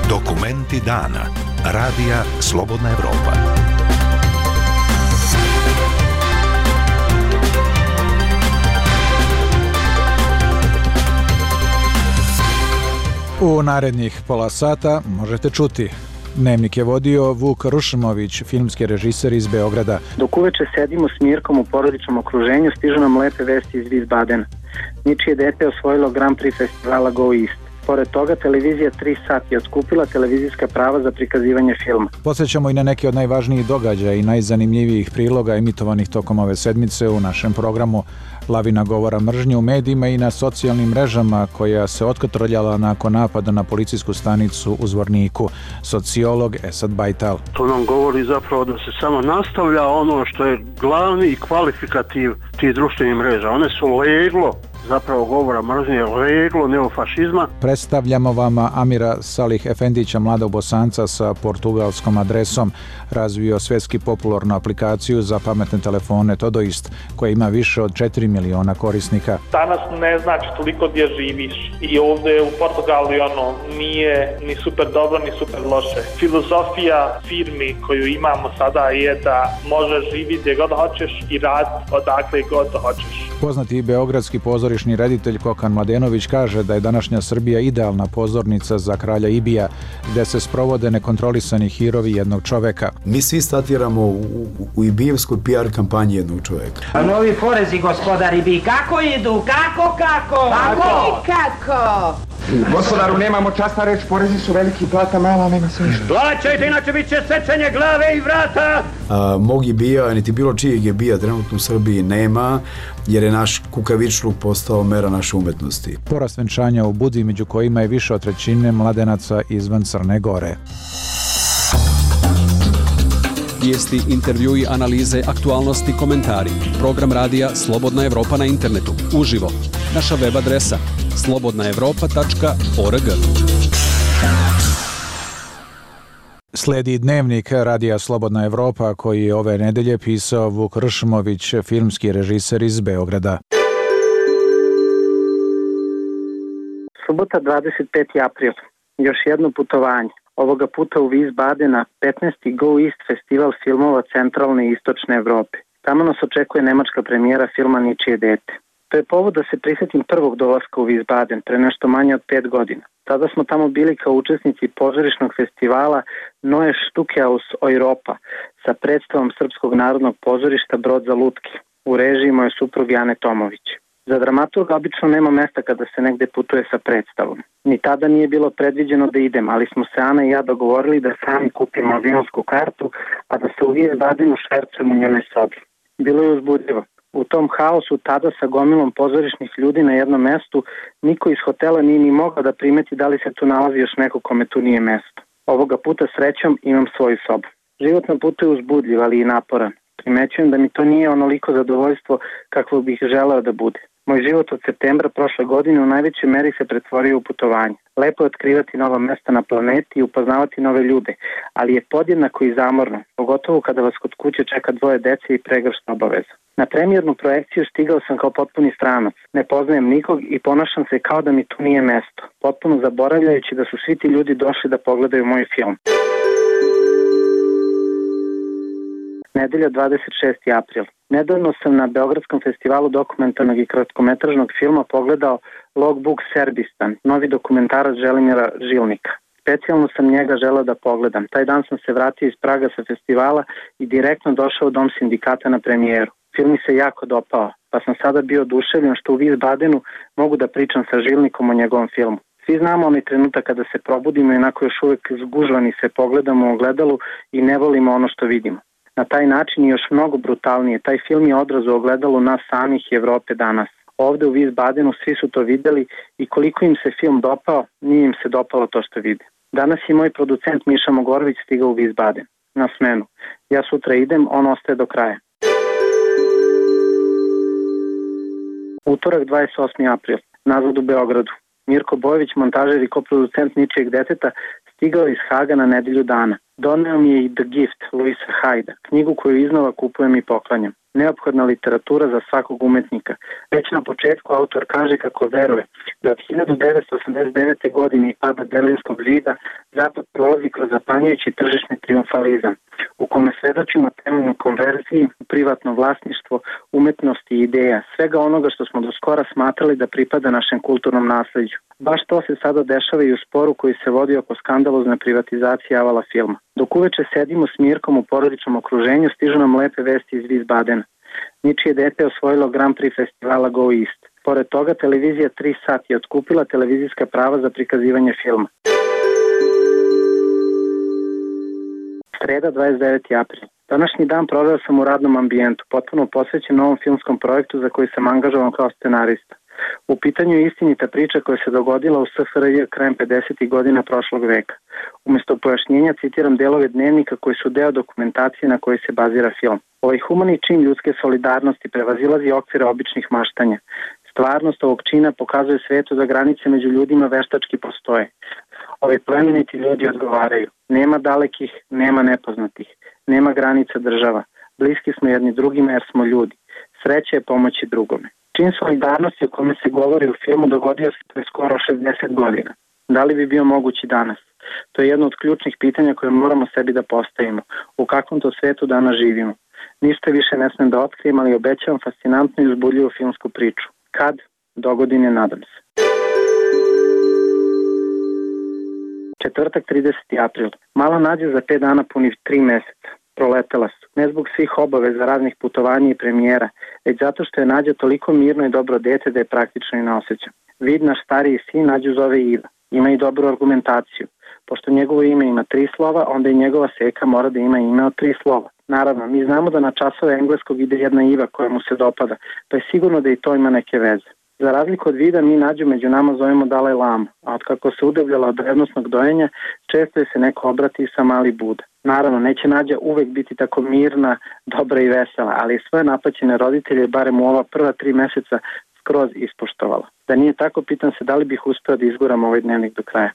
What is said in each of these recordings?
Dokumenti dana. Radija Slobodna Evropa. U narednih pola sata možete čuti. Dnevnik je vodio Vuk Rušmović, filmski režiser iz Beograda. Dok uveče sedimo s Mirkom u porodičnom okruženju, stižu nam lepe vesti iz Wiesbadena. Ničije dete je osvojilo Grand Prix festivala Go East. Pored toga, televizija 3 sati je otkupila televizijska prava za prikazivanje filma. Podsjećamo i na neke od najvažnijih događaja i najzanimljivijih priloga emitovanih tokom ove sedmice u našem programu. Lavina govora mržnje u medijima i na socijalnim mrežama koja se otkotrljala nakon napada na policijsku stanicu u Zvorniku. Sociolog Esad Bajtal. To nam govori zapravo da se samo nastavlja ono što je glavni kvalifikativ tih društvenih mreža. One su leglo zapravo govora mržnje, leglo neofašizma. Predstavljamo vama Amira Salih Efendića, mladog Bosanca sa portugalskom adresom. Razvio svjetski popularnu aplikaciju za pametne telefone Todoist, koja ima više od 4 miliona korisnika. Danas ne znači toliko gdje živiš. I ovdje u Portugalu nije ni super dobro, ni super loše. Filozofija firmi koju imamo sada je da možeš živjeti gdje god hoćeš i raditi odakle god hoćeš. Poznati beogradski pozorišni reditelj Kokan Mladenović kaže da je današnja Srbija idealna pozornica za kralja Ibija, gdje se sprovode nekontrolisani hirovi jednog čoveka. Mi svi statiramo u ibijevskoj PR kampanji jednog čoveka. A novi porezi, gospodar Ibij, kako idu? Kako? Gospodaru, nemamo časta reč, porezi su veliki, plata mala, nema se ništa. Plaćajte, inače bit će sečenje glave i vrata! Mog Ibija, niti bilo čijeg Ibija trenutno u Srbiji nema, jer je naš kukavičluk postao mera naše umetnosti. Porast venčanja u Budvi, među kojima je više od trećine mladenaca izvan Crne Gore. Vijesti, intervjui, analize, aktualnosti, komentari. Program radija Slobodna Evropa na internetu. Uživo. Naša web adresa slobodnaevropa.org. Slijedi dnevnik radija Slobodna Evropa koji je ove nedelje pisao Vuk Rušmović, filmski režiser iz Beograda. Subota 25. april. Još jedno putovanje. Ovoga puta u Wiesbadena 15. Go East festival filmova centralne i istočne Evrope. Tamo nas očekuje nemačka premijera filma Ničije dete. To je povod da se prisjetim prvog dolaska u Wiesbaden pre nešto manje od 5 godina. Tada smo tamo bili kao učesnici pozorišnog festivala Neue Stücke aus Europa sa predstavom Srpskog narodnog pozorišta Brod za lutke u režiji moje supruge Ane Tomović. Za dramaturga obično nema mesta kada se negde putuje sa predstavom. Ni tada nije bilo predviđeno da idem, ali smo se Ana i ja dogovorili da sami kupimo avionsku kartu, a da se u Wiesbadenu švercujemo u njenoj sobi. Bilo je uzbudljivo. U tom haosu tada sa gomilom pozorišnih ljudi na jednom mestu niko iz hotela nije ni mogao da primeti da li se tu nalazi još neko kome tu nije mesto. Ovoga puta srećom imam svoju sobu. Život na putu je uzbudljiv, ali i naporan. Primećujem da mi to nije onoliko zadovoljstvo kakvo bih želeo da bude. Moj život od septembra prošle godine u najvećoj meri se pretvorio u putovanje. Lepo je otkrivati nova mesta na planeti i upoznavati nove ljude, ali je podjednako i zamorno, pogotovo kada vas kod kuće čeka 2 dece i pregršt obaveza. Na premijernu projekciju stigao sam kao potpuni stranac, ne poznajem nikog i ponašam se kao da mi tu nije mesto, potpuno zaboravljajući da su svi ti ljudi došli da pogledaju moj film. Nedelja 26. april. Nedavno sam na Beogradskom festivalu dokumentarnog i kratkometražnog filma pogledao Logbook Serbistan, novi dokumentarac Želimira Žilnika. Specijalno sam njega želeo da pogledam. Taj dan sam se vratio iz Praga sa festivala i direktno došao u Dom sindikata na premijeru. Film mi se jako dopao, pa sam sada bio oduševljen što u Wiesbadenu mogu da pričam sa Žilnikom o njegovom filmu. Svi znamo onaj trenutak kada se probudimo i onako još uvijek zgužvani se pogledamo u ogledalu i ne volimo ono što vidimo. Na taj način i još mnogo brutalnije. Taj film je odraz u ogledalu nas samih i Evrope danas. Ovde u Wiesbadenu svi su to videli i koliko im se film dopao, nije im se dopalo to što vide. Danas je moj producent Miša Mogorović stigao u Wiesbaden na smenu. Ja sutra idem, on ostaje do kraja. Utorak 28. april. Nazad u Beogradu. Mirko Bojević, montažer i koproducent Ničijeg deteta, stigao iz Haga na nedelju dana. Doneo mi je i The Gift, Louisa Hyda, knjigu koju iznova kupujem i poklanjam. neophodna literatura za svakog umetnika. Već na početku autor kaže kako veruje da od 1989. godine i pada Berlinskog zida Zapad prolazi kroz zapanjujući tržišni triumfalizam, u kome svedočimo temeljnoj konverziji, privatno vlasništvo, umetnosti i ideja, svega onoga što smo do skora smatrali da pripada našem kulturnom nasleđu. Baš to se sada dešava i u sporu koji se vodi oko skandalozne privatizacije Avala filma. Dok uveče sedimo s Mirkom u porodičnom okruženju, stižu nam lepe vesti iz Wiesbadena. Ničije dete je osvojilo Grand Prix festivala Go East. Pored toga, televizija 3 sati je otkupila televizijska prava za prikazivanje filma. Sreda, 29. april. Današnji dan proveo sam u radnom ambijentu, potpuno posvećen novom filmskom projektu za koji sam angažovan kao scenarista. U pitanju je istinita priča koja se dogodila u SFRJ krajem 50. godina prošlog veka. Umjesto pojašnjenja citiram delove dnevnika koji su deo dokumentacije na kojoj se bazira film. Ovaj humani čin ljudske solidarnosti prevazilazi okvire običnih maštanja. Stvarnost ovog čina pokazuje svetu da granice među ljudima veštački postoje. Ovi plemeniti ljudi odgovaraju. Nema dalekih, nema nepoznatih. Nema granica država. Bliski smo jedni drugima jer smo ljudi. Sreća je pomoći drugome. Čin solidarnosti o kome se govori u filmu dogodio se pre skoro 60 godina. Da li bi bio mogući danas? To je jedno od ključnih pitanja koje moramo sebi da postavimo. U kakvom to svetu danas živimo? Ništa više ne smem da otkrijem, ali obećavam fascinantnu i uzbudljivu filmsku priču. Kad? Dogodine, nadam se. Četvrtak, 30. april. Mala Nađa za 5 dana puni 3 meseca. Proletela su. Ne zbog svih obaveza, raznih putovanja i premijera, već zato što je Nađa toliko mirno i dobro dete da je praktično i ne osjeća. Vid, naš stariji sin, Nađu zove Iva. Ima i dobru argumentaciju. Pošto njegovo ime ima 3 slova, onda i njegova seka mora da ima ime od 3 slova. Naravno, mi znamo da na časove engleskog ide jedna Iva koja mu se dopada, pa je sigurno da i to ima neke veze. Za razliku od Vida, mi Nađu među nama zovemo Dalaj Lama, a otkako se udavljala od revnosnog dojenja, često je se neko obrati sa Mali Buda. Naravno, neće Nađa uvek biti tako mirna, dobra i vesela, ali je svoje napaćene roditelje, barem u ova prva 3 meseca, skroz ispoštovala. Da nije tako, pitam se da li bih uspeo da izguram ovaj dnevnik do kraja.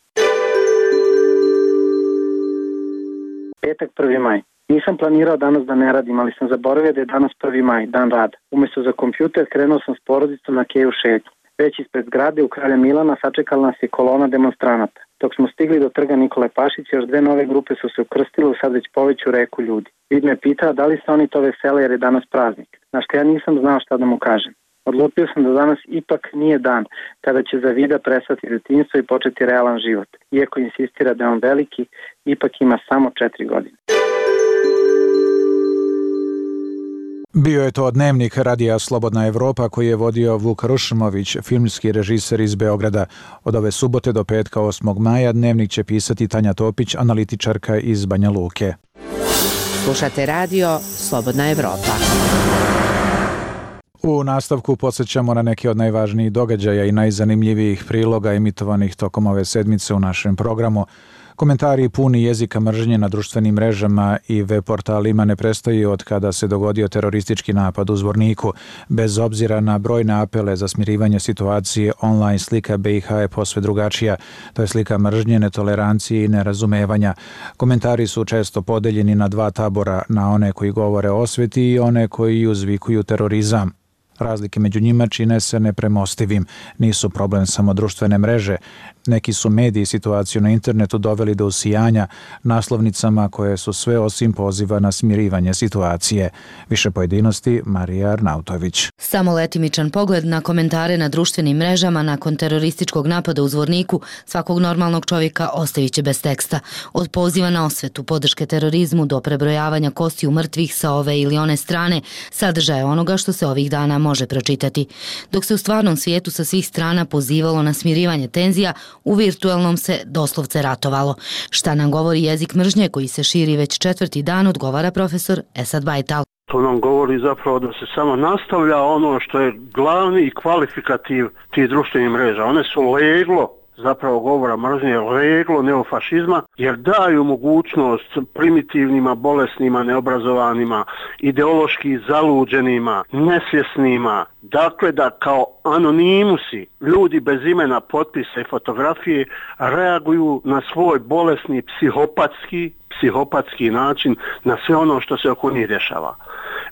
Petak, 1. maj. Nisam planirao danas da ne radim, ali sam zaboravio da je danas 1. maj, dan rada. Umesto za kompjuter krenuo sam s porodicom na keju šetnju. Već ispred zgrade u Kralja Milana sačekala nas je kolona demonstranata. Dok smo stigli do trga Nikole Pašića, još 2 nove grupe su se ukrstile u sad već poveću reku ljudi. Vid me pitao da li se oni to vesele jer je danas praznik. Na što ja nisam znao šta da mu kažem. Odlučio sam da danas ipak nije dan kada će za Vida prestati detinjstvo i početi realan život. Iako insistira da je on veliki, ipak ima samo 4 godine. Bio je to dnevnik Radija Slobodna Evropa koji je vodio Vuk Rušmović, filmski režiser iz Beograda. Od ove subote do petka 8. maja dnevnik će pisati Tanja Topić, analitičarka iz Banja Luke. Slušate radio Slobodna Evropa. U nastavku podsjećamo na neke od najvažnijih događaja i najzanimljivijih priloga emitovanih tokom ove sedmice u našem programu. Komentari puni jezika mržnje na društvenim mrežama i web portalima ne prestaju od kada se dogodio teroristički napad u Zvorniku. Bez obzira na brojne apele za smirivanje situacije, online slika BiH je posve drugačija. To je slika mržnje, netolerancije i nerazumevanja. Komentari su često podeljeni na 2 tabora, na one koji govore o osveti i one koji uzvikuju terorizam. Razlike među njima čine se nepremostivim. Nisu problem samo društvene mreže. Neki su mediji situaciju na internetu doveli do usijanja naslovnicama koje su sve osim poziva na smirivanje situacije. Više pojedinosti, Marija Arnautović. Samo letimičan pogled na komentare na društvenim mrežama nakon terorističkog napada u Zvorniku svakog normalnog čovjeka ostavit će bez teksta. Od poziva na osvetu, podrške terorizmu do prebrojavanja kostiju mrtvih sa ove ili one strane, sadržaje onoga što se ovih dana može pročitati. Dok se u stvarnom svijetu sa svih strana pozivalo na smirivanje tenzija, u virtualnom se doslovce ratovalo. Šta nam govori jezik mržnje koji se širi već 4. dan, odgovara profesor Esad Bajtal. To nam govori zapravo da se samo nastavlja ono što je glavni i kvalifikativ tih društvenih mreža. One su leglo zapravo govora mržnje, leglo neofašizma, jer daju mogućnost primitivnima, bolesnima, neobrazovanima, ideološki zaluđenima, nesvjesnima, dakle da kao anonimusi, ljudi bez imena, potpisa i fotografije reaguju na svoj bolesni psihopatski način na sve ono što se oko njih dešava.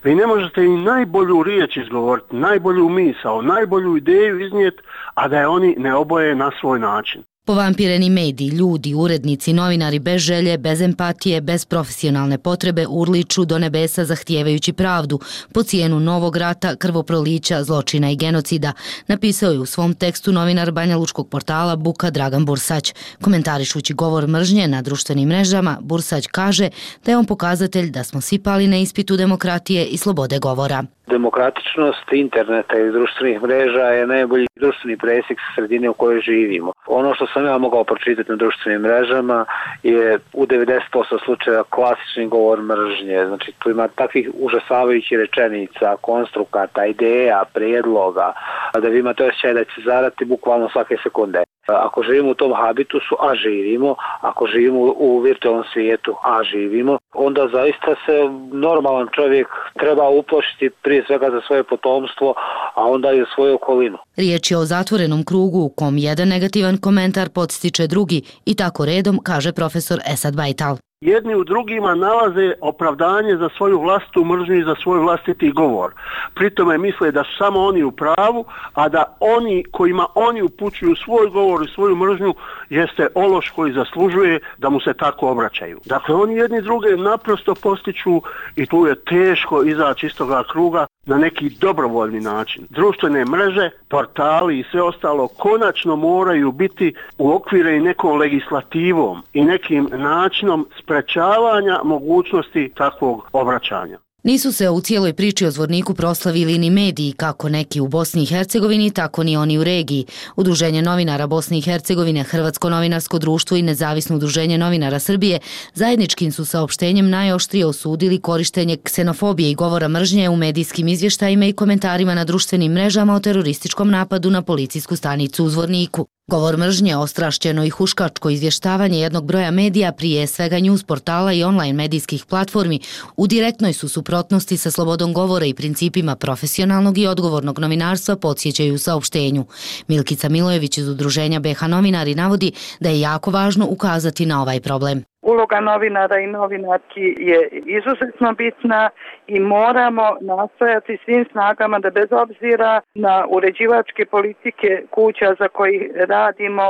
Vi ne možete i najbolju riječ izgovoriti, najbolju misao, najbolju ideju iznijeti, a da je oni ne oboje na svoj način. Povampireni mediji, ljudi, urednici, novinari bez želje, bez empatije, bez profesionalne potrebe urliču do nebesa zahtijevajući pravdu po cijenu novog rata, krvoprolića, zločina i genocida, napisao je u svom tekstu novinar banjalučkog portala Buka Dragan Bursać. Komentarišući govor mržnje na društvenim mrežama, Bursać kaže da je on pokazatelj da smo svi pali na ispitu demokratije i slobode govora. Demokratičnost interneta i društvenih mreža je najbolji društveni presjek sredine u kojoj živimo. Ono što sam ja mogao pročitati na društvenim mrežama je u 90% slučaja klasični govor mržnje. Znači tu ima takvih užasavajućih rečenica, konstrukata, ideja, prijedloga, da vi imate osjećaj da će zarati bukvalno svake sekunde. Ako živimo u tom habitusu, a živimo, ako živimo u virtualnom svijetu, a živimo, onda zaista se normalan čovjek treba uplašiti prije svega za svoje potomstvo, a onda i za svoju okolinu. Riječ je o zatvorenom krugu u kom jedan negativan komentar podstiče drugi i tako redom, kaže profesor Esad Bajtal. Jedni u drugima nalaze opravdanje za svoju vlastitu mržnju i za svoj vlastiti govor. Pritome misle da su samo oni u pravu, a da oni kojima oni upućuju svoj govor i svoju mržnju jeste ološ koji zaslužuje da mu se tako obraćaju. Dakle, oni jedni druge naprosto postiču i tu je teško izaći iz toga kruga na neki dobrovoljni način. Društvene mreže, portali i sve ostalo konačno moraju biti uokvireni nekom legislativom i nekim načinom sprečavanja mogućnosti takvog obraćanja. Nisu se u cijeloj priči o Zvorniku proslavili ni mediji, kako neki u Bosni i Hercegovini, tako ni oni u regiji. Udruženje novinara Bosne i Hercegovine, Hrvatsko novinarsko društvo i Nezavisno udruženje novinara Srbije zajedničkim su saopštenjem najoštrije osudili korištenje ksenofobije i govora mržnje u medijskim izvještajima i komentarima na društvenim mrežama o terorističkom napadu na policijsku stanicu u Zvorniku. Govor mržnje, ostrašćeno i huškačko izvještavanje jednog broja medija, prije svega news portala i online medijskih platformi, u direktnoj su suprotnosti sa slobodom govora i principima profesionalnog i odgovornog novinarstva, podsjećaju u saopštenju. Milkica Milojević iz udruženja BH Novinari navodi da je jako važno ukazati na ovaj problem. Uloga novinara i novinarki je izuzetno bitna i moramo nastojati svim snagama da bez obzira na uređivačke politike kuća za koji radimo,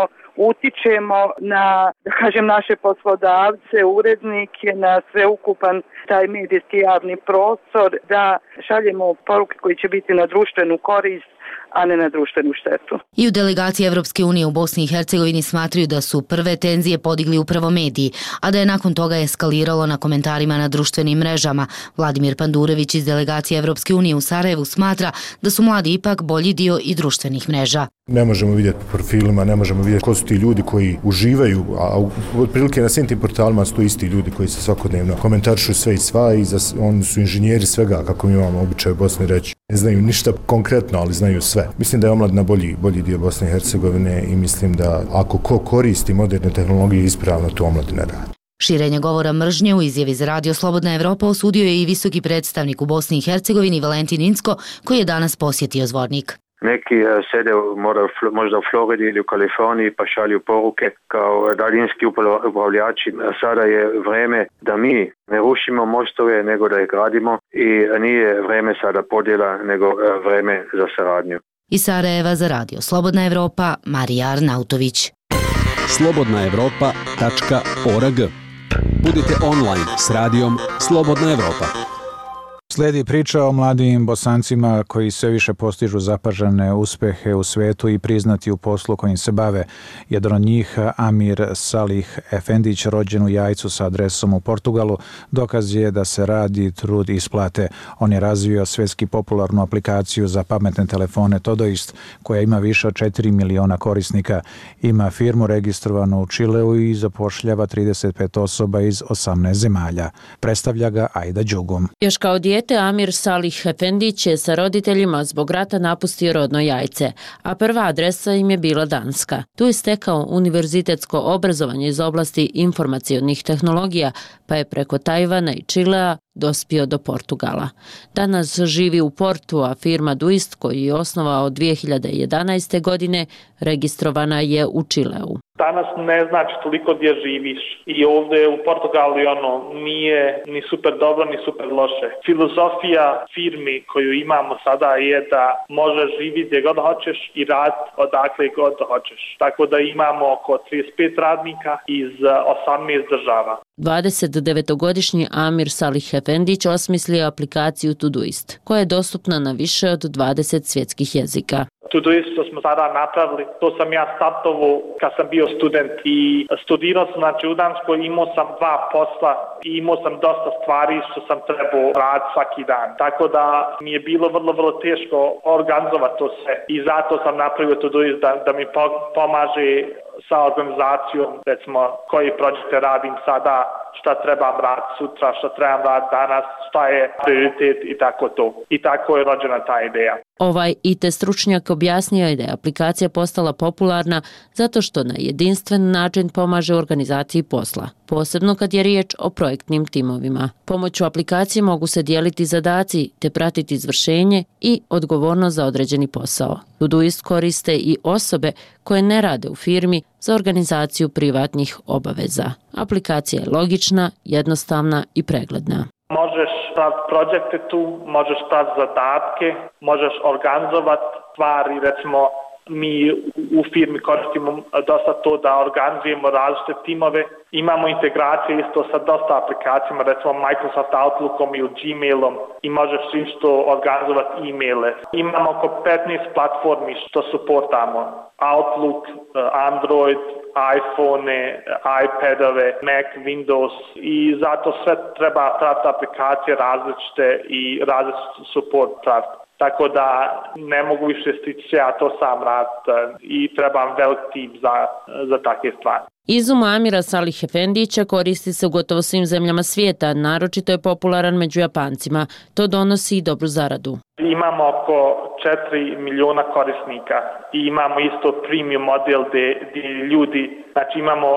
utičemo na, da kažem, naše poslodavce, urednike, na sveukupan taj medijski javni prostor, da šaljemo poruke koji će biti na društvenu korist, a ne na društvenu štetu. I u delegaciji Evropske unije u Bosni i Hercegovini smatraju da su prve tenzije podigli upravo mediji, a da je nakon toga eskaliralo na komentarima na društvenim mrežama. Vladimir Pandurević iz delegacije Evropske unije u Sarajevu smatra da su mladi ipak bolji dio i društvenih mreža. Ne možemo vidjeti po profilima, ne možemo vidjeti ko su ti ljudi koji uživaju, a otprilike na svim tim portalima su to isti ljudi koji se svakodnevno komentarišu sve i sva i oni su inženjeri svega, kako mi imamo običaj u Bosni reći. Ne znaju ništa konkretno, ali znaju sve. Mislim da je omladina bolji dio Bosne i Hercegovine i mislim da ako ko koristi moderne tehnologije ispravno, to omladina radi. Širenje govora mržnje u izjavi za Radio Slobodna Evropa osudio je i visoki predstavnik u Bosni i Hercegovini Valentin Incko, koji je danas posjetio Zvornik. Neki sede možda u Floridi ili u Kaliforniji pa šalju poruke kao daljinski upravljači. Sada je vreme da mi ne rušimo mostove, nego da ih gradimo i nije vreme sada podjela, nego vreme za saradnju. Iz Sarajeva za Radio Slobodna Evropa, Marija Arnautović. slobodnaevropa.org. Budite online s radijom Slobodna Evropa. Slijedi priča o mladim Bosancima koji sve više postižu zapažene uspehe u svetu i priznati u poslu kojim se bave. Jedan od njih, Amir Salih Efendić, rođen u Jajcu sa adresom u Portugalu, dokaz je da se radi, trud i isplate. On je razvio svjetski popularnu aplikaciju za pametne telefone Todoist, koja ima više od 4 miliona korisnika. Ima firmu registrovanu u Čileu i zapošljava 35 osoba iz 18 zemalja. Predstavlja ga Ajda Đugum. Još kao dijete Amir Salih Efendić je sa roditeljima zbog rata napustio rodno Jajce, a prva adresa im je bila Danska. Tu je stekao univerzitetsko obrazovanje iz oblasti informacionih tehnologija, pa je preko Tajvana i Čilea dospio do Portugala. Danas živi u Portu, a firma Duist, koju je osnovao 2011. godine, registrovana je u Čileu. Danas ne znači toliko gdje živiš i ovdje u Portugalu nije ni super dobro ni super loše. Filozofija firmi koju imamo sada je da možeš živjeti gdje god hoćeš i raditi odakle god hoćeš. Tako da imamo oko 35 radnika iz 18 država. 29-godišnji Amir Salih Efendić osmislio aplikaciju Todoist, koja je dostupna na više od 20 svjetskih jezika. Todoist što smo sada napravili, to sam ja startovao kad sam bio student i studirao sam u Danskoj, imao sam 2 posla i imao sam dosta stvari što sam trebao raditi svaki dan. Tako da mi je bilo vrlo teško organizovati to sve i zato sam napravio Todoist da mi pomaže sa organizacijom, recimo koji projekte radim sada, šta trebam raditi sutra, šta trebam raditi danas, šta je prioritet i tako to. I tako je rođena ta ideja. Ovaj IT stručnjak objasnio je da je aplikacija postala popularna zato što na jedinstven način pomaže organizaciji posla, posebno kad je riječ o projektnim timovima. Pomoću aplikacije mogu se dijeliti zadaci te pratiti izvršenje i odgovornost za određeni posao. Todoist koriste i osobe koje ne rade u firmi za organizaciju privatnih obaveza. Aplikacija je logična, jednostavna i pregledna. Možeš praviti projekte tu, možeš praviti zadatke, možeš organizovati stvari, recimo mi u firmi koristimo dosta to da organizujemo različite timove. Imamo integracije isto sa dosta aplikacijama, recimo Microsoft Outlookom ili Gmailom i možeš isto organizovati e-maile. Imamo oko 15 platformi što suportamo. Outlook, Android, iPhone, iPadove, Mac, Windows i zato sve treba praviti aplikacije različite i različite support praviti. Tako da ne mogu više stići ja to sam raditi i trebam velik tim za takve stvari. Izum Amira Salih Efendića koristi se u gotovo svim zemljama svijeta, naročito je popularan među Japancima. To donosi i dobru zaradu. Imamo oko 4 miliona korisnika i imamo isto premium model gdje ljudi, znači imamo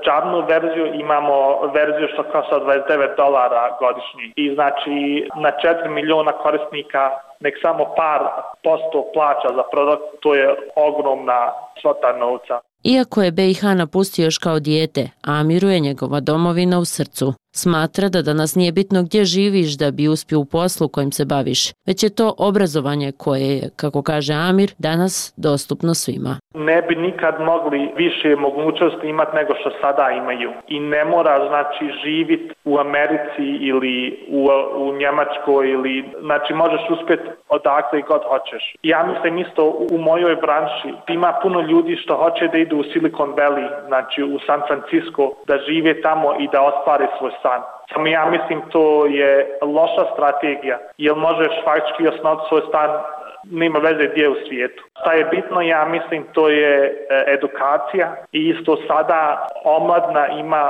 džabnu verziju, imamo verziju što košta $29 godišnji i znači na 4 miliona korisnika nek samo par posto plaća za produkt, to je ogromna svota novca. Iako je BiH napustio još kao dijete, Amiru je njegova domovina u srcu. Smatra da danas nije bitno gdje živiš da bi uspio u poslu kojim se baviš, već je to obrazovanje koje je, kako kaže Amir, danas dostupno svima. Ne bi nikad mogli više mogućnosti imati nego što sada imaju. I ne mora živjeti u Americi ili u Njemačkoj znači možeš uspjeti odakle i god hoćeš. Ja mislim isto u mojoj branši ima puno ljudi što hoće da idu u Silicon Valley, znači u San Francisco, da žive tamo i da ostvare svoj san. Samo ja mislim to je loša strategija, jer možeš faktički osnovati svoj stan, nema veze gdje u svijetu. Šta je bitno, ja mislim, to je edukacija i isto sada omladna ima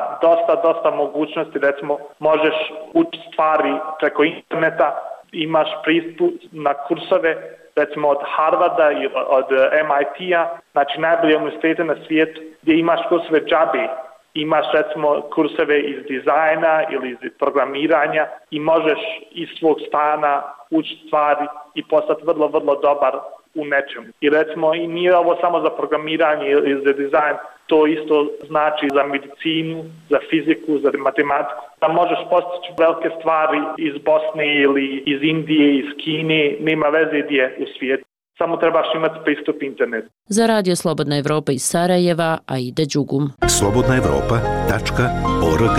dosta mogućnosti, recimo možeš učiti stvari preko interneta, imaš pristup na kursove, recimo od Harvarda i od MIT-a, znači najbolje univerzitete na svijetu, gdje imaš kursove džabe. Imaš recimo kurseve iz dizajna ili iz programiranja i možeš iz svog stana učiti stvari i postati vrlo dobar u nečemu. I recimo i nije ovo samo za programiranje ili za dizajn, to isto znači za medicinu, za fiziku, za matematiku. Da možeš postići velike stvari iz Bosne ili iz Indije, iz Kine, nema veze gdje u svijetu. Samo trebaš imati pristup internetu. Za Radio Slobodna Evropa iz Sarajeva, Aida Đugum. slobodnaevropa.org.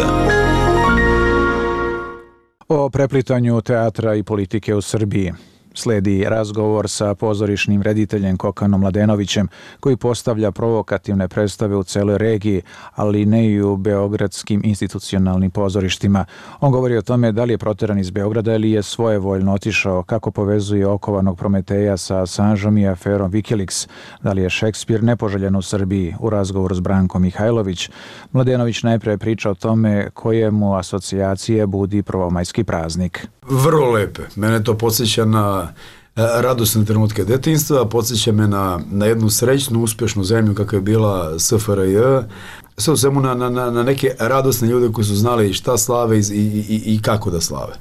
O preplitanju teatra i politike u Srbiji slijedi razgovor sa pozorišnim rediteljem Kokanom Mladenovićem, koji postavlja provokativne predstave u celoj regiji, ali ne i u beogradskim institucionalnim pozorištima. On govori o tome da li je proteran iz Beograda ili je svojevoljno otišao, kako povezuje okovanog Prometeja sa Assangeom i aferom Wikileaks, da li je Šekspir nepoželjen u Srbiji. U razgovoru s Brankom Mihajlović, Mladenović najprije priča o tome koje mu asocijacije budi prvomajski praznik. Vrlo lepe. Mene to podsjeća na radosne trenutke detinjstva, podsjeća me na jednu srećnu, uspješnu zemlju kakva je bila SFRJ, sve u svemu na neke radosne ljude koji su znali šta slave i kako da slave.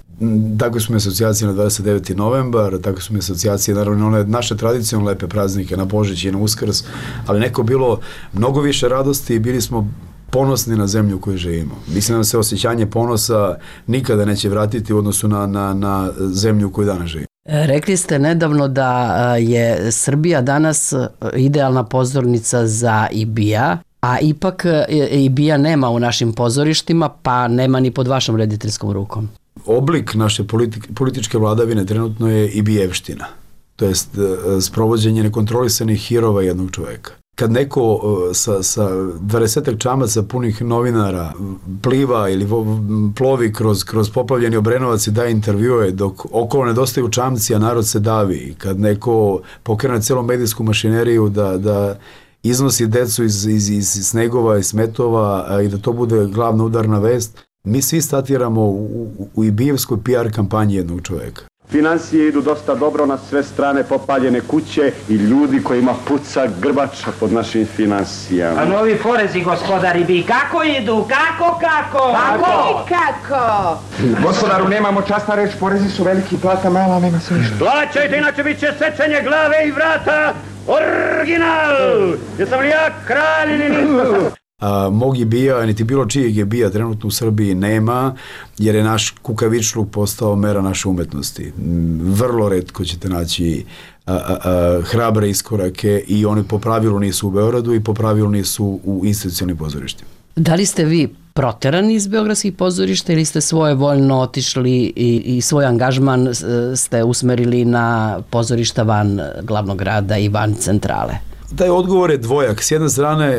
Tako su mi asocijacije na 29. novembar, tako su mi asocijacije, naravno, one naše tradicionalne lepe praznike na Božić i na Uskrs, ali neko bilo mnogo više radosti i bili smo ponosni na zemlju u kojoj živimo. Mislim da se osjećanje ponosa nikada neće vratiti u odnosu na zemlju u kojoj danas živimo. Rekli ste nedavno da je Srbija danas idealna pozornica za IBIA, a ipak IBIA nema u našim pozorištima, pa nema ni pod vašom rediteljskom rukom. Oblik naše političke vladavine trenutno je IBIjevština, to jest sprovođenje nekontrolisanih hirova jednog čoveka. Kad neko sa 20 čamaca punih novinara pliva ili plovi kroz poplavljeni Obrenovac i daje intervjue dok okolo nedostaju čamci, a narod se davi, kad neko pokrene celu medijsku mašineriju da iznosi decu iz snegova i smetova i da to bude glavna udarna vest, mi svi statiramo u ibijevskoj PR kampanji jednog čoveka. Financije idu dosta dobro, na sve strane popaljene kuće i ljudi kojima puca grbača pod našim financijama. A novi porezi, gospodari, bi kako idu? Kako? Gospodaru, nemamo časna reč, porezi su veliki, plata mala, nema se ništa. Plaćajte, inače bit će sečenje glave i vrata. Original! Jesam li ja kralj ili nisam? Mog IBIA, niti bilo čijeg IBIA trenutno u Srbiji nema, jer je naš kukavičluk postao mera naše umetnosti. Vrlo retko ćete naći hrabre iskorake i oni po pravilu nisu u Beogradu i po pravilu nisu u institucionalnim pozorištima. Da li ste vi proterani iz beogradskih pozorišta ili ste svojevoljno otišli i svoj angažman ste usmerili na pozorišta van glavnog grada i van centrale? Taj odgovor je dvojak. S jedne strane,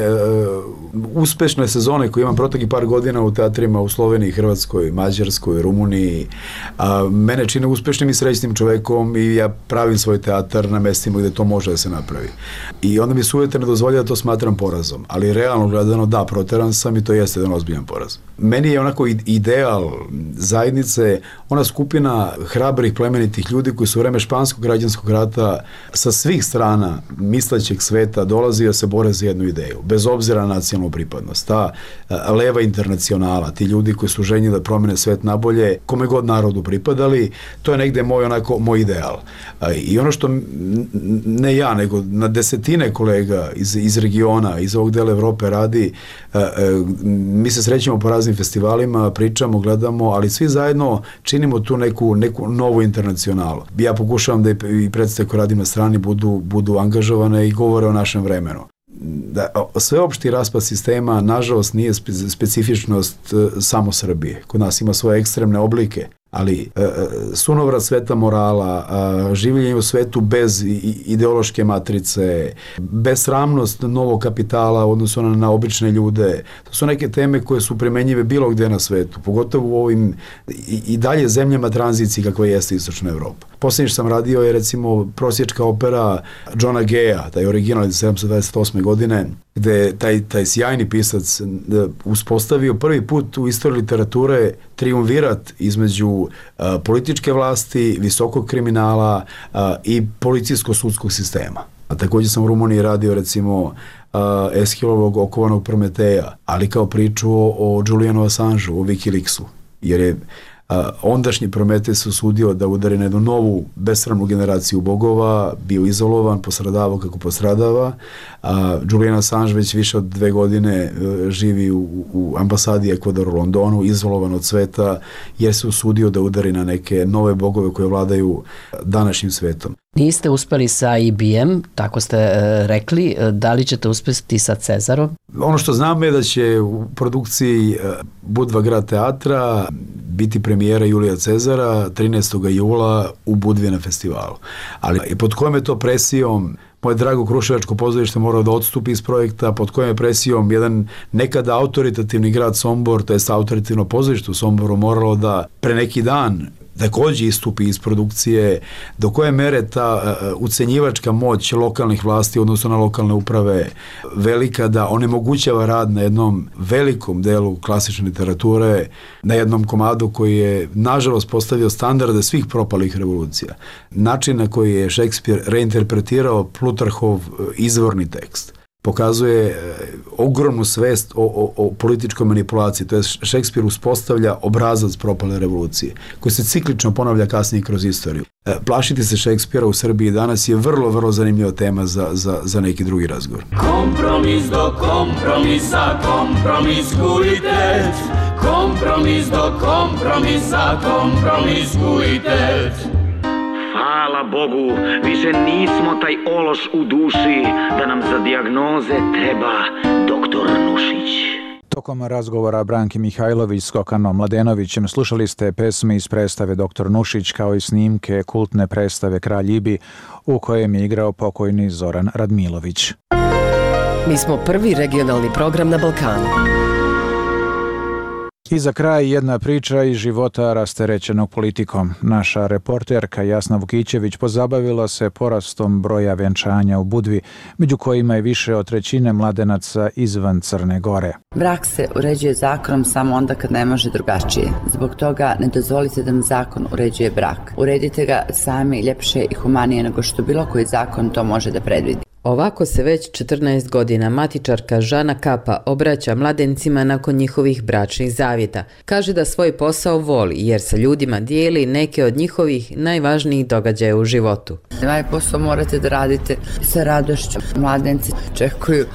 uspešne sezone koje imam proteklih par godina u teatrima u Sloveniji, Hrvatskoj, Mađarskoj, Rumuniji, mene čine uspešnim i srećnim čovekom i ja pravim svoj teatar na mestima gde to može da se napravi. I onda mi se uvijek ne dozvolja da to smatram porazom. Ali realno gledano, da, proteran sam i to jeste jedan ozbiljan poraz. Meni je onako ideal zajednice, ona skupina hrabrih, plemenitih ljudi koji su u vreme Španskog građanskog rata sa svih strana mislećeg sveta dolazi da se bore za jednu ideju, bez obzira na nacionalnu pripadnost. Ta leva internacionala, ti ljudi koji su željni da promene svet nabolje, kome god narodu pripadali, to je negde moj ideal. I ono što ne ja, nego na desetine kolega iz regiona, iz ovog dela Evrope radi, mi se srećemo po raznim festivalima, pričamo, gledamo, ali svi zajedno činimo tu neku novu internacionalu. Ja pokušavam da i predstave koje radim na strani budu angažovane i govore o našem vremenu. Sveopšti raspad sistema, nažalost, nije specifičnost samo Srbije. Kod nas ima svoje ekstremne oblike, ali sunovrat sveta morala, življenje u svetu bez ideološke matrice, besramnost novog kapitala odnosno na obične ljude, to su neke teme koje su primenjive bilo gde na svetu, pogotovo u ovim i dalje zemljama tranziciji kakva jeste Istočna Evropa. Posljednje što sam radio je recimo prosječka opera Johna Gaye'a, taj original iz 1728. godine, gde taj sjajni pisac uspostavio prvi put u istoriji literature triumvirat između političke vlasti, visokog kriminala i policijsko-sudskog sistema. A također sam u Rumuniji radio recimo Eshilovog okovanog Prometeja, ali kao priču o Julianu Assangeu, o Wikileaksu, jer je ondašnji Prometej se usudio da udari na jednu novu besramnu generaciju bogova, bio izolovan, postradavao kako postradava, a Julian Assange već više od 2 godine živi u ambasadi Ekvadora u Londonu, izolovan od sveta, jer se usudio da udari na neke nove bogove koje vladaju današnjim svetom. Niste uspeli sa IBM, tako ste rekli, da li ćete uspeti sa Cezarom? Ono što znam je da će u produkciji Budva grad teatra biti premijera Julija Cezara 13. jula u Budvi na festivalu. Ali pod kojom je to presijom moje drago Kruševačko pozorište morao da odstupi iz projekta, pod kojom je presijom jedan nekada autoritativni grad Sombor, to je autoritativno pozorište u Somboru, moralo da pre neki dan također istupi iz produkcije, do koje mere ta ucenjivačka moć lokalnih vlasti, odnosno na lokalne uprave, velika da onemogućava rad na jednom velikom delu klasične literature, na jednom komadu koji je, nažalost, postavio standarde svih propalih revolucija. Način na koji je Šekspir reinterpretirao Plutarhov izvorni tekst pokazuje ogromnu svest o političkoj manipulaciji. To je Šekspir uspostavlja obrazac propale revolucije, koji se ciklično ponavlja kasnije kroz istoriju. Plašiti se Šekspira u Srbiji danas je vrlo, vrlo zanimljiva tema za neki drugi razgovor. Kompromis do kompromisa, kompromiskujte. Kompromis do kompromisa, kompromiskujte. Hvala Bogu, više nismo taj ološ u duši, da nam za dijagnoze treba doktor Nušić. Tokom razgovora Branki Mihajlović s Kokanom Mladenovićem slušali ste pesme iz predstave Dr. Nušić kao i snimke kultne predstave Kralj Ibi u kojem je igrao pokojni Zoran Radmilović. Mi smo prvi regionalni program na Balkanu. I za kraj jedna priča iz života rasterećenog politikom. Naša reporterka Jasna Vukićević pozabavila se porastom broja venčanja u Budvi, među kojima je više od trećine mladenaca izvan Crne Gore. Brak se uređuje zakonom samo onda kad ne može drugačije. Zbog toga ne dozvolite da vam zakon uređuje brak. Uredite ga sami ljepše i humanije nego što bilo koji zakon to može da predvidi. Ovako se već 14 godina matičarka Žana Kapa obraća mladencima nakon njihovih bračnih zavjeta. Kaže da svoj posao voli jer sa ljudima dijeli neke od njihovih najvažnijih događaja u životu. Ovaj posao morate da radite sa radošću. Mladenci čekuju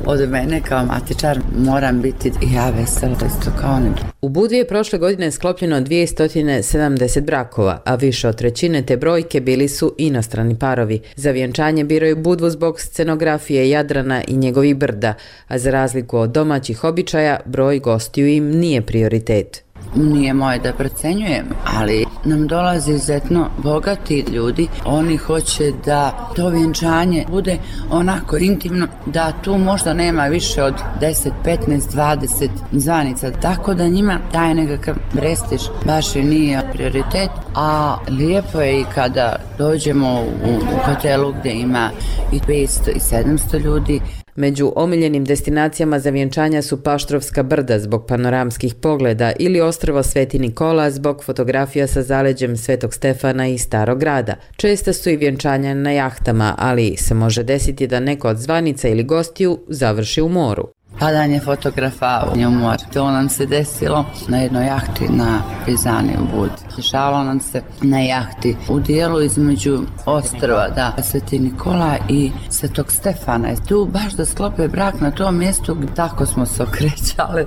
od mene kao matičar, moram biti i ja vesela isto kao oni. U Budvi je prošle godine sklopljeno 270 brakova, a više od trećine te brojke bili su inostrani parovi. Za vjenčanje biraju Budvu zbog scenografije Jadrana i njegovih brda, a za razliku od domaćih običaja, broj gostiju im nije prioritet. Nije moje da procenjujem, ali nam dolaze izuzetno bogati ljudi. Oni hoće da to vjenčanje bude onako intimno, da tu možda nema više od 10, 15, 20 zvanica. Tako da njima taj nekakav prestiž baš i nije prioritet. A lijepo je i kada dođemo u hotelu gdje ima i 500 i 700 ljudi. Među omiljenim destinacijama za vjenčanja su Paštrovska brda zbog panoramskih pogleda ili ostrvo Sveti Nikola zbog fotografija sa zaleđem Svetog Stefana i Starog grada. Česta su i vjenčanja na jahtama, ali se može desiti da neko od zvanica ili gostiju završi u moru. Padanje fotografa u mor. To nam se desilo na jednoj jahti na Prizani u Budi. Dešavalo nam se na jahti u dijelu između ostrva, Sveti Nikola i Svetog Stefana. Tu baš da sklope brak na tom mjestu, tako smo se okrećali.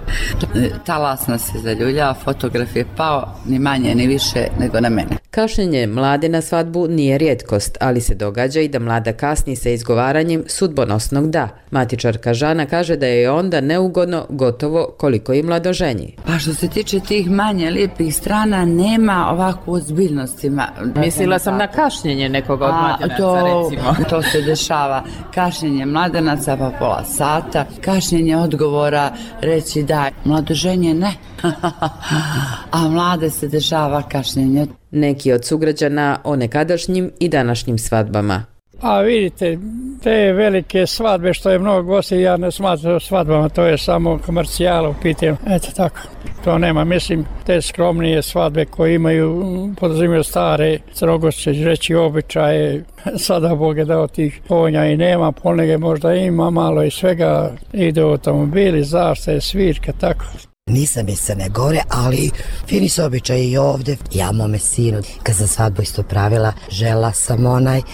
Talas nas je zaljuljao, fotograf je pao ni manje ni više nego na mene. Kašnjenje mlade na svadbu nije rijetkost, ali se događa i da mlada kasni sa izgovaranjem sudbonosnog da. Matičarka Žana kaže da je onda neugodno gotovo koliko i mladoženji. Pa što se tiče tih manje lijepih strana, nema ovakvu ozbiljnosti. Mislila sam na kašnjenje nekoga od mladenaca, recimo. To se dešava. Kašnjenje mladenaca pa pola sata, kašnjenje odgovora, reći da, mladoženje ne. A mlade se dešava kašnjenje. Neki od sugrađana o nekadašnjim i današnjim svadbama. A vidite, te velike svadbe što je mnogo gosti, ja ne smatram svadbama, to je samo komercijala u pitanju. Eto tako, to nema. Mislim, te skromnije svadbe koje imaju, podrazumiju stare crnogorske reći običaje, sada Bog je dao tih konja i nema, ponege možda ima, malo i svega, ide automobili, zaštite, svirka, tako. Nisam iz Crne Gore, ali fini su običaji i ovdje. Ja mome sinu, kad sam svadbu isto pravila, žela sam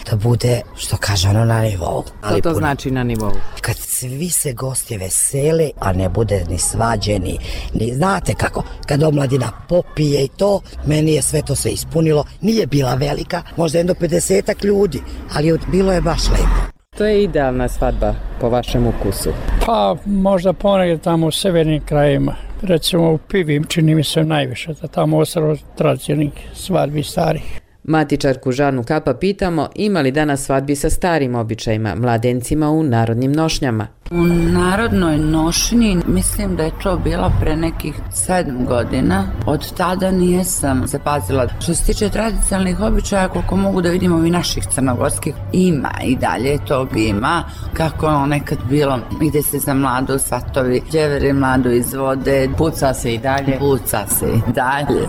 da bude, što kaže ono, na nivou. Što to znači na nivou? Kad svi se gosti vesele, a ne bude ni svađeni, ni znate kako, kad omladina popije i to, meni je sve to sve ispunilo. Nije bila velika, možda jedno 50 ljudi, ali bilo je baš lepo. To je idealna svadba po vašem ukusu? Pa možda ponegdje tamo u severnim krajima. Recimo u Pivi čini mi se najviše, da tamo ostalo tradicionalnih svadbi starih. Matičarku Žanu Kapa pitamo ima li danas svadbi sa starim običajima, mladencima u narodnim nošnjama. U narodnoj nošnji mislim da je to bilo pre nekih 7 godina. Od tada nijesam zapazila. Što se tiče tradicionalnih običaja, koliko mogu da vidimo i naših crnogorskih, ima i dalje tog ima. Kako ono nekad bilo, ide se za mladu svatovi, djeveri mladu izvode. Puca se i dalje. Puca se i dalje.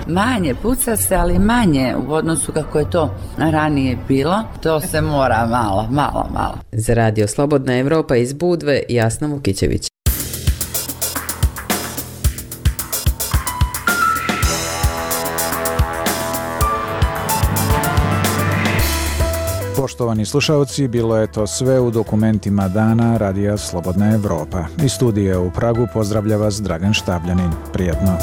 manje, puca se, ali manje u odnosu kako je to ranije bilo. To se mora malo. Za Radio Slobodna Evropa iz Budve, Jasna Vukićević. Poštovani slušalci, bilo je to sve u dokumentima dana Radija Slobodna Evropa. Iz studija u Pragu pozdravlja vas Dragan Štabljanin. Prijetno.